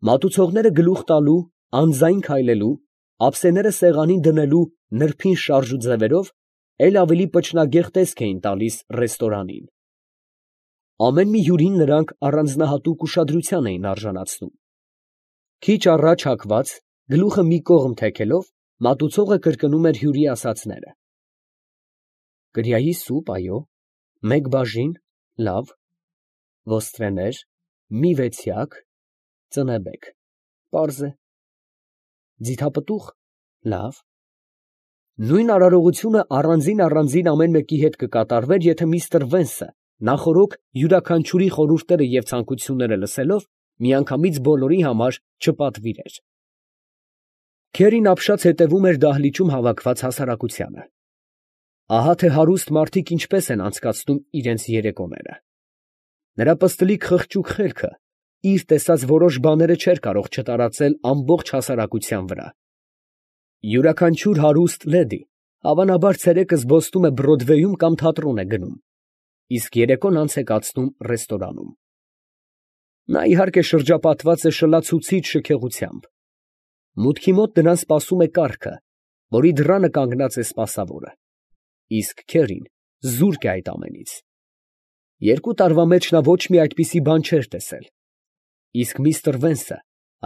Մատուցողները գլուխ տալու, անձայն քայլելու, ափսեները սեղանին դնելու նրբին շարժ ու ձևերով էլ ավելի պճնագեղ տեսք էին տալիս ռեստորանին. ամեն մի հյուրին նրանք առանձնահատուկ ուշադրության էին արժանացնում։ Քիչ առաջ հագված, գլուխը մի կողմ թեքելով, մատուցողը կրկնում էր հյուրի ասածները. «Կրիայի սուպ, այո, մեկ բաժին, լավ, ոստրեներ, մի վեցյակ, ծնեբեկ, պարզ է, ձիթապտուղ, լավ»։ Նույն արարողությունը առանձին ամեն մեկի հետ կկատարվեր, եթե միստր Վենսը նախօրոք յուրաքանչյուրի խորհուրդները և ցանկությունները լսելով, միանգամից բոլորի համար չպատվիրեր։ Քերին ապշած հետևում էր դահլիճում հավաքված հասարակությանը։ Ահա թե հարուստ մարդիկ ինչպես են անցկացնում իրենց երեկոները։ Նրա պստլիկ խղճուկ խելքը իր տեսած որոշ բաները չէր կարող չտարածել ամբողջ հասարակության վրա։ Յուրաքանչյուր հարուստ լեդի հավանաբար ցերեկը զբոսնում է Բրոդվեյում կամ թատրոն է գնում, իսկ երեկոն անց է կացնում ռեստորանում։ Նա իհարկե շրջապատված է շլացուցիչ շքեղությամբ։ Մուտքի մոտ նրան սպասում է կառքը, որի դռանը կանգնած է սպասավորը, իսկ Քերին զուրկ է այդ ամենից։ 2 տարվա մեջ նա ոչ մի այդպիսի բան չէր տեսել, իսկ միստր Վենսը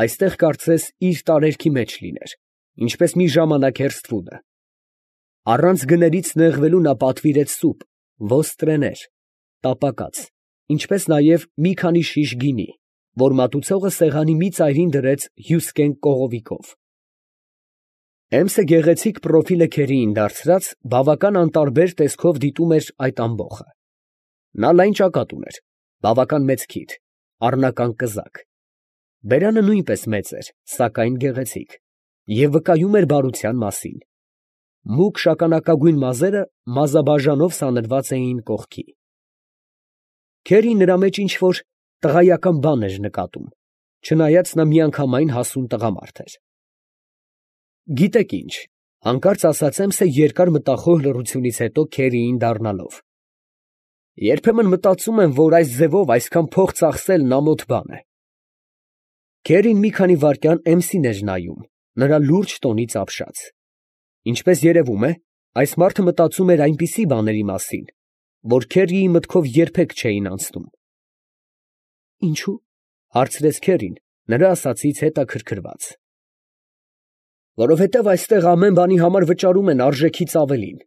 այստեղ կարծես իր տարերքի մեջ լիներ, ինչպես մի ժամանակ հեռստվունը։ Առանց գներից նեղվելու նա պատվիրեց սուպ, ոստրեներ, տապակած, ինչպես նաև մի քանի շիշ գինի, որ մատուցողը սեղանի մի ծայրին դրեց հյուսկեն կողովիկով։ Էմսը գեղեցիկ պրոֆիլը Քերիին դարձրած, բավական անտարբեր տեսքով դիտում էր այդ ամբոխը։ Նա լայն ճակատ ուներ, բավական մեծ քիթ, առնական կզակ։ Բերանը նույնպես մեծ էր, սակայն գեղեցիկ, և վկայում էր բարության մասին։ Մուգ շագանակագույն մազերը մազաբաժանով սանրված էին կողքի։ Քերին նրա մեջ ինչ֊որ տղայական բան էր նկատում, չնայած նա միանգամայն հասուն տղամարդ էր։ Գիտեք ինչ, հանկարծ ասաց Էմսը երկար մտախոհ լռությունից հետո Քերիին դառնալով. երբեմն մտածում եմ, որ այս ձևով այսքան փող ծախսելն ամոթ բան է։ Քերին մի քանի վայրկյան Էմսին էր նայում, նրա լուրջ տոնից ապշած։ Ինչպես երևում է, այս մարդը մտածում էր այնպիսի բաների մասին, որ Քերիի մտքով երբեք չէին անցնում։ Ինչո՞ւ, հարցրեց Քերին, նրա ասածից հետաքրքրված։ Որովհետև այստեղ ամեն բանի համար վճարում են արժեքից ավելին,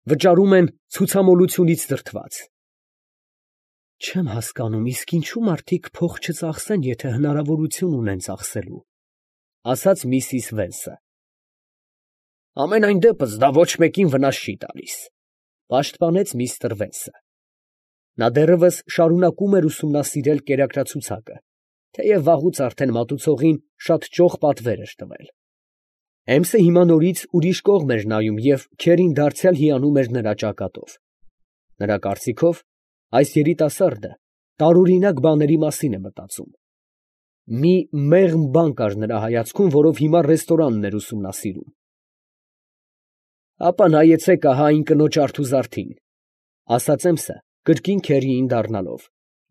վճարում են ցուցամոլությունից դրդված։ Չեմ հասկանում, իսկ ինչու մարդիկ փող չծախսեն, եթե հնարավորություն ունեն ծախսելու, ասաց միսիս Վենսը։ Ամենայն դեպս դա ոչ մեկին վնաս չի տալիս, պաշտպանեց միստր Վենսը։ Նա դեռևս շարունակում էր ուսումնասիրել կերակրացուցակը, թեև վաղուց արդեն մատուցողին շատ ճոխ պատվեր էր տվել։ Էմսը հիմա նորից ուրիշ կողմ էր նայում և Քերին դարձյալ հիանում էր նրա ճակատով։ Նրա կարծիքով, այս երիտասարդը տարօրինակ բաների մասին է մտածում։ Մի մեղմ բան կար նրա հայացքում, որով հիմա ռեստորանն էր ուսումնասիրում։ Ապա նայեցեք ահա այն կնոջ արթուզարդին, ասաց Էմսը, կրկին Քերիին դառնալով,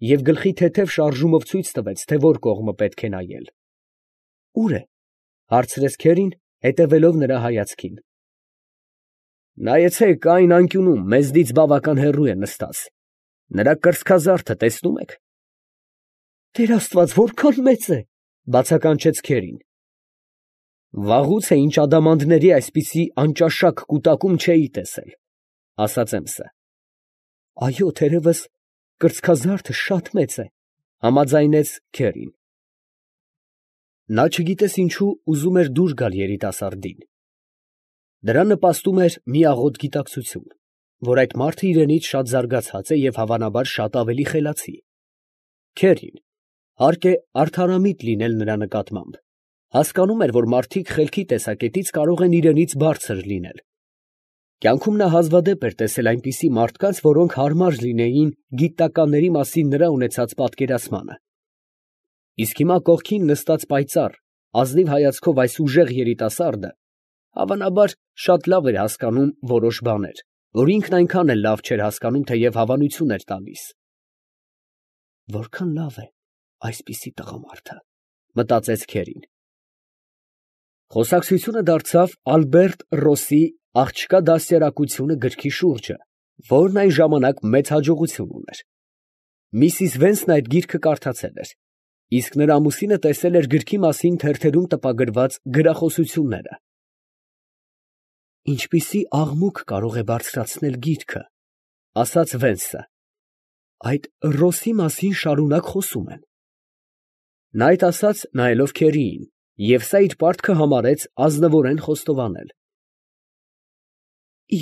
և գլխի թեթև շարժումով ցույց տվեց, թե որ կողմը պետք է նայել։ Ո՞ւր է, հարցրեց Քերին, հետևելով նրա հայացքին։ Նայեցեք այն անկյունում, մեզնից բավական հեռու է նստած, նրա կրծքազարդը տեսնում եք։ Տեր Աստված, որքան մեծ է, բացականչեց Քերին։ Վաղուց է ինչ ադամանդների այսպիսի անճաշակ կուտակում չէի տեսել, ասաց Էմսը։ Այո, թերևս կրծքազարդը շատ մեծ է, համաձայնեց Քերին։ Նա չգիտես ինչու ուզում էր դուր գալ երիտասարդին։ Դրա նպաստում էր մի աղոտ գիտակցություն, որ այդ մարդը իրենից շատ զարգացած է և հավանաբար շատ ավելի խելացի։ Քերին, հարկ է արդարամիտ լինել նրա նկատմամբ, հասկանում էր, որ մարդիկ խելքի տեսակետից կարող են իրենից բարձր լինել։ Կյանքում նա հազվադեպ էր տեսել այնպիսի մարդկանց, որոնք հարմար լինեին գիտնականների մասին նրա ունեցած պատկերացմանը։ Իսկ հիմա կողքին նստած պայծառ, ազնիվ հայացքով այս ուժեղ երիտասարդը, հավանաբար, շատ լավ էր հասկանում որոշ բաներ, որ ինքն այնքան էլ լավ չէր հասկանում, թեև հավանություն էր տալիս։ Որքան լավ է այսպիսի տղամարդը, մտածեց Քերին։ Խոսակցությունը դարձավ Ալբերտ Ռոսի «Աղջկա դաստիարակությունը» գրքի շուրջը, որն այն ժամանակ մեծ հաջողություն ուներ։ Միսիս Վենսն այդ գիրքը կարդացել էր, իսկ նրա ամուսինը տեսել էր գրքի մասին թերթերում տպագրված գրախոսությունները։ «Ինչպիսի աղմուկ կարող է բարձրացնել գիրքը», ֊ ասաց Վենսը։ «Այդ Ռոսի մասին շարունակ խոսում են»։ Նա այդ ասաց նայելով Քերիին, և սա իր պարտքը համարեց ազնվորեն խոստովանել։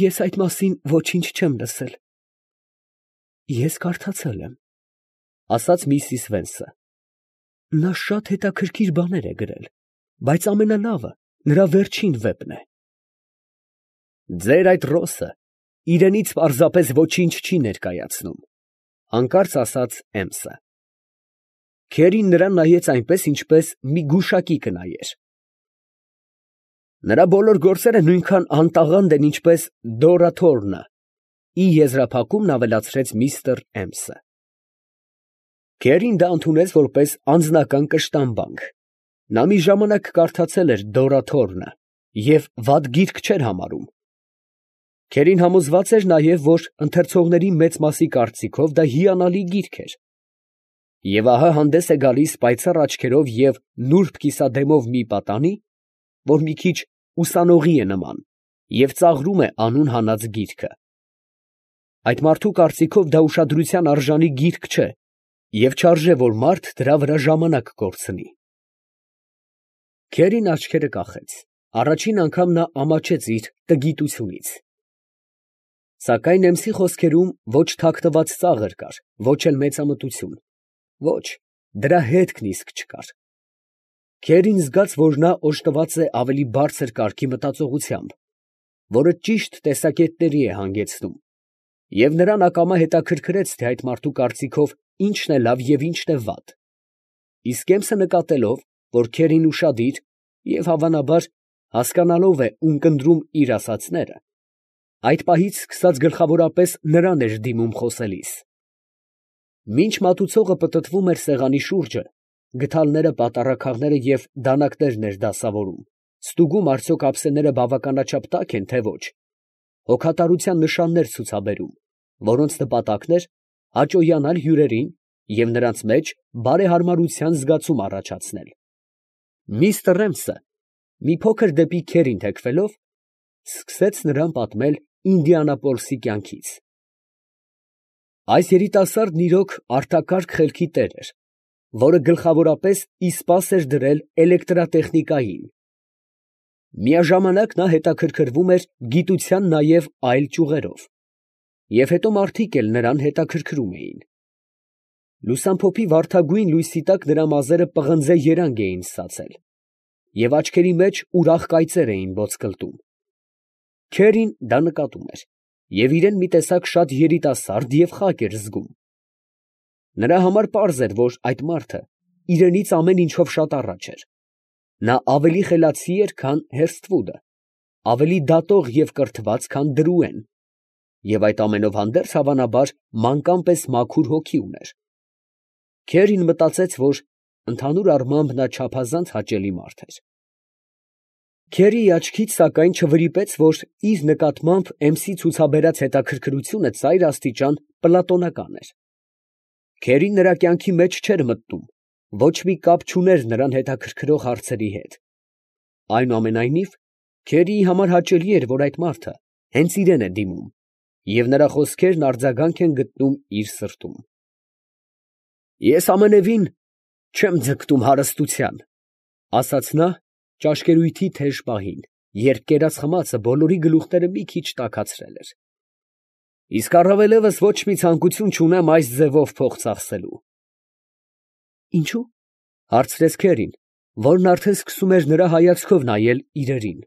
«Ես այդ մասին ոչինչ չեմ լսել»։ «Ես կարդացել եմ», ֊ ասաց միսիս Վենսը։ «Նա շատ հետաքրքիր բաներ է գրել, բայց ամենալավը նրա վերջին վեպն է»։ «Ձեր այդ Ռոսը իրենից պարզապես ոչինչ չի ներկայացնում», ֊ հանկարծ ասաց Էմսը։ Քերին նրան նայեց այնպես, ինչպես մի գուշակի կնայեր։ «Նրա բոլոր գործերը նույնքան անտաղանդ են, ինչպես Դորա Թորնը», ֊ ի եզրափակումն ավելացրեց միստր Էմսը։ Քերին դա ընդունեց որպես անձնական կշտամբանք։ Նա մի ժամանակ կարդացել էր Դորա Թորնը և վատ գիրք չէր համարում։ Քերին համոզված էր նաև, որ ընթերցողների մեծ մասի կարծիքով դա հիանալի գիրք էր։ Եվ ահա հանդես է գալիս պայծառ աչքերով և նուրբ կիսադեմով մի պատանի, որ մի քիչ ուսանողի է նման և ծաղրում է անուն հանած գիրքը։ Այդ մարդու կարծիքով դա ուշադրության արժանի գիրք չէ և չարժե, որ մարդ դրա վրա ժամանակ կորցնի։ Քերին աչքերը կախեց. առաջին անգամ նա ամաչեց իր տգիտությունից։ Սակայն Էմսի խոսքերում ոչ թաքնված ծաղր կար, ոչ էլ մեծամտություն, ոչ, դրա հետքն իսկ չկար։ Քերին զգաց, որ նա օժտված է ավելի բարձր կարգի մտածողությամբ, որը ճիշտ տեսակետների է հանգեցնում, և նրան ակամա հետաքրքրեց, թե այդ մարդու կարծիքով ինչն է լավ և ինչն է վատ։ Իսկ Էմսը նկատելով, որ Քերին ուշադիր և, հավանաբար, հասկանալով է ունկնդրում իր ասածները, այդ պահից սկսած գլխավորապես նրան էր դիմում խոսելիս։ Մինչ մատուցողը պտտվում էր սեղանի շուրջը, գդալները, պատառաքաղները և դանակներն էր դասավորում, ստուգում արդյոք ափսեները բավականաչափ տաք են, թե ոչ, հոգատարության նշաններ ցուցաբերում, որոնց նպատակն էր հաճոյանալ հյուրերին և նրանց մեջ բարեհարմարության զգացում առաջացնել, միստր Էմսը, մի փոքր դեպի Քերին թեքվելով, սկսեց նրան պատմել Ինդիանապոլսի կյանքից։ Այս երիտասարդն իրոք արտակարգ խելքի տեր էր, որը գլխավորապես իսպաս էր դրել էլեկտրատեխնիկային։ Միաժամանակ նա հետաքրքրվում էր գիտության նաև այլ ճյուղերով, և հետո մարդիկ էլ նրան հետաքրքրում էին։ Լուսամփոփի վարդագույն լույսի տակ նրա մազերը պղնձե երանգ էին ստացել, և աչքերի մեջ ուրախ կայծեր էին ոսկլտում։ Քերին դա նկատում էր և իրեն մի տեսակ շատ երիտասարդ և խակ էր զգում։ Նրա համար պարզ էր, որ այդ մարդը իրենից ամեն ինչով շատ առաջ էր։ Նա ավելի խելացի էր, քան Հերսթվուդը, ավելի դատող և կրթված, քան Դրուեն, և այդ ամենով հանդերձ, հավանաբար, մանկան պես մաքուր հոգի ուներ։ Քերին մտածեց, որ ընդհանուր առմամբ նա չափազանց հաճելի մարդ էր։ Քերիի աչքից, սակայն, չվրիպեց, որ իր նկատմամբ Էմսի ցուցաբերած հետաքրքրությունը ծայր աստիճան պլատոնական էր։ Քերին նրա կյանքի մեջ չէր մտնում, ոչ մի կապ չուներ նրան հետաքրքրող հարցերի հետ։ Այնուամենայնիվ, Քերիի համար հաճելի էր, որ այդ մարդը հենց իրան է դիմում, և նրա խոսքերն արձագանք են գտնում իր սրտում։ «Ես ամենևին չեմ ձգտում հարստության», ֊ ասաց նա ճաշկերույթի թեժ պահին, երբ կերած խմածը բոլորի գլուխները մի քիչ տաքացրել էր։ «Իսկ առավելևս ոչ մի ցանկություն չունեմ այս ձևով փող ծախսելու»։ «Ինչո՞ւ» ֊ հարցրեց Քերին, որն արդեն սկսում էր նրա հայացքով նայել իրերին։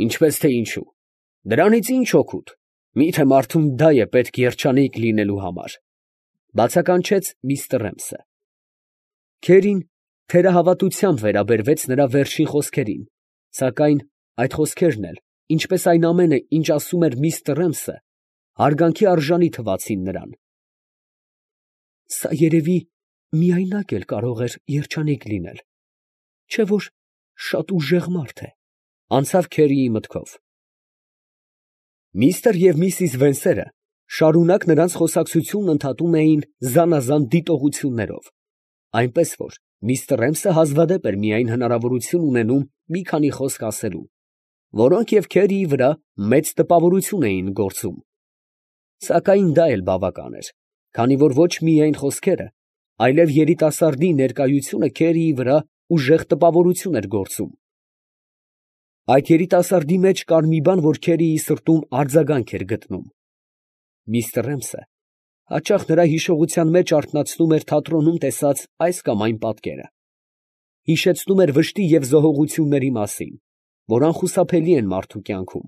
«Ինչպես թե ինչո՞ւ, դրանից ի՞նչ օգուտ, մի՞թե մարդուն դա է պետք երջանիկ լինելու համար», ֊ բացականչեց միստր Էմսը։ Քերին թերահավատությամբ վերաբերվեց նրա վերջին խոսքերին, սակայն այդ խոսքերն էլ, ինչպես այն ամենը, ինչ ասում էր միստր Էմսը, հարգանքի արժանի թվացին նրան։ «Սա երևի միայնակ էլ կարող էր երջանիկ լինել, չէ՞ որ շատ ուժեղ մարդ է, անցավ Քերիի մտքով։ Միստր և միսիս Վենսերը շարունակ նրանց խոսակցությունն ընդհատում էին զանազան դիտողություններով, այնպես որ միստր Էմսը հազվադեպ էր միայն հնարավորություն ունենում մի քանի խոսք ասելու, որոնք և Քերիի վրա մեծ տպավորություն էին գործում, սակայն դա էլ բավական էր, քանի որ ոչ միայն խոսքերը, այլև երիտասարդի ներկայությունը Քերիի վրա ուժեղ տպավորություն էր գործում։ Այդ երիտասարդի մեջ կար մի բան, որ Քերիի սրտում արձագանք էր գտնում։ Միստր Էմսը հաճախ նրա հիշողության մեջ արթնացնում էր թատրոնում տեսած այս կամ այն պատկերը, հիշեցնում էր վշտի և զոհողությունների մասին, որ անխուսափելի են մարդու կյանքում։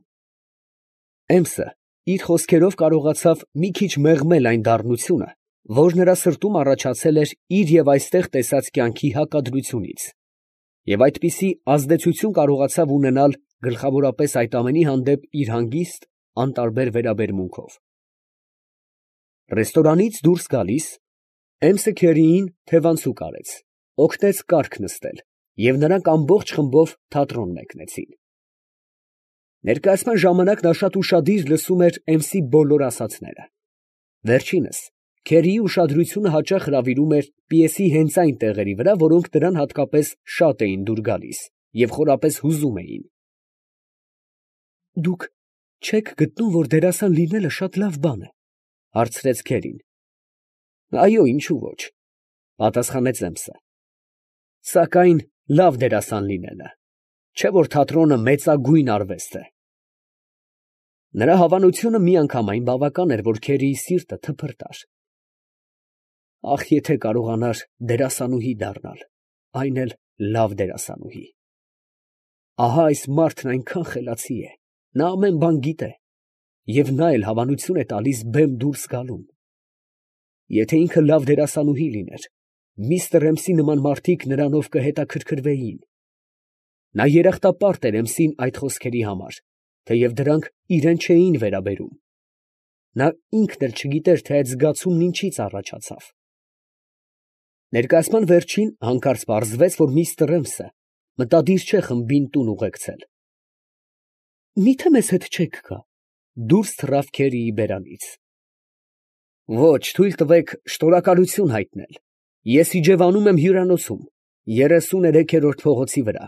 Էմսը իր խոսքերով կարողացավ մի քիչ մեղմել այն դառնությունը, որ նրա սրտում առաջացել էր իր և այստեղ տեսած կյանքի հակադրությունից, և այդպիսի ազդեցություն կարողացավ ունենալ գլխավորապես այդ ամենի հանդեպ իր հանգիստ, անտարբեր վերաբերմունքով։ Ռեստորանից դուրս գալիս, Էմսը Քերիին թևանցուկ արեց, օգնեց կառք նստել, և նրանք ամբողջ խմբով թատրոն մեկնեցին։ Ներկայացման ժամանակ նա շատ ուշադիր լսում էր Էմսի բոլոր ասածները։ Վերջինս Քերիի ուշադրությունը հաճախ հրավիրում էր պիեսի հենց այն տեղերի վրա, որոնք նրան հատկապես շատ էին դուր գալիս և խորապես հուզում էին։ «Դուք չե՞ք գտնում, որ դերասան լինելը շատ լավ բան է, ֊ հարցրեց Քերին։ ֊ Այո, ինչու ոչ, ֊ պատասխանեց Էմսը, ֊ սակայն լավ դերասան լինելը, չէ՞ որ թատրոնը մեծագույն արվեստ է։ Նրա հավանությունը միանգամայն բավական էր, որ Քերիի սիրտը թփրտար։ Ախ, եթե կարողանար դերասանուհի դառնալ, այն էլ լավ դերասանուհի։ Ահա այս մարդն այնքան խելացի է, նա ամեն բան գիտե, և նա էլ հավանություն է տալիս բեմ դուրս գալուն։ Եթե ինքը լավ դերասանուհի լիներ, միստր Էմսի նման մարդիկ նրանով կհետաքրքրվեին։ Նա երախտապարտ էր Էմսին այդ խոսքերի համար, թեև դրանք իրան չէին վերաբերում։ Նա ինքն էլ չգիտեր, թե այդ զգացումն ինչից առաջացավ։ Ներկայացման վերջին հանկարծ պարզվեց, որ միստր Էմսը մտադիր չէ խմբին տուն ուղեկցել։ «Մի՞թե մեզ հետ չեք գա», ֊ դուրս թռավ Քերիի բերանից։ «Ոչ, թույլ տվեք շնորհակալություն հայտնել. ես իջևանում եմ հյուրանոցում, 33-րդ փողոցի վրա,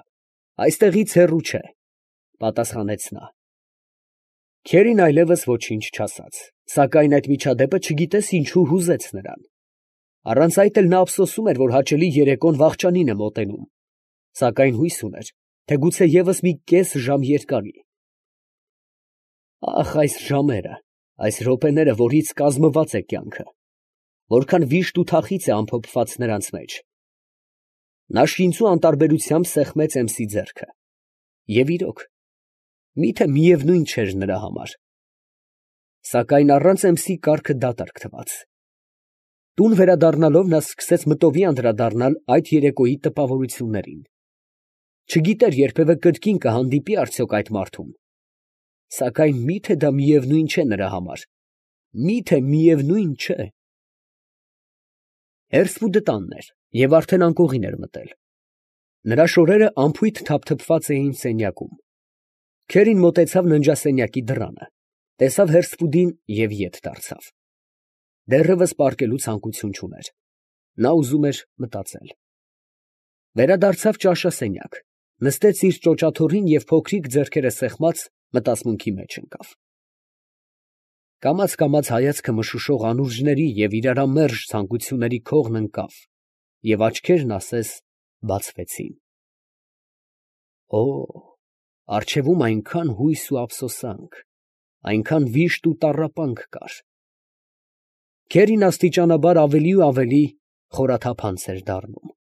այստեղից հեռու չէ, ֊ պատասխանեց նա։ Քերին այլևս ոչինչ չասաց, սակայն այդ միջադեպը չգիտես ինչու հուզեց նրան։ Առանց այդ էլ նա ափսոսում էր, որ հաճելի երեկոն վախճանին է մոտենում, սակայն հույս ուներ, թե գուցե ևս մի կես ժամ երկարի։ Ախ, այս ժամերը, այս րոպեները, որից կազմված է կյանքը, որքան վիշտ ու թախիծ է ամփոփված նրանց մեջ։ Նա շինծու անտարբերությամբ սեղմեց Էմսի ձեռքը։ Եվ իրոք, միթե միևնույն չէր նրա համար։ Սակայն առանց Էմսի կառքը դատարկ թվաց։ Տուն վերադառնալով նա սկսեց մտովի անդրադառնալ այդ երեկոյի տպավորություններին։ Չգիտեր երբևէ կրկին կհանդիպի արդյոք այդ մարդուն։ Սակայն միթե դա միևնույն չէ նրա համար, միթե միևնույն չէ։ Հերսվուդը տանն էր և արդեն անկողին էր մտել։ Նրա շորերը անփույթ թափթփված էին սենյակում։ Քերին մոտեցավ ննջասենյակի դռանը, տեսավ Հերսվուդին և ետ դարձավ։ Դեռևս պառկելու ցանկություն չուներ։ Նա ուզում էր մտածել։ Վերադարձավ ճաշասենյակ, նստեց իր ճոճաթոռին և փոքրիկ ձեռքերը սեղմած մտածմունքի մեջ ընկավ։ Կամաց հայացքը մշուշող անուրջների և իրարամերժ ցանկությունների քողն ընկավ, և աչքերն ասես բացվեցին։ Օ՜, առջևում այնքան հույս ու ափսոսանք, այնքան վիշտ ու տառապանք կար։ Քերին աստիճանաբար ավելի ու ավելի խորաթափանց էր դառնում։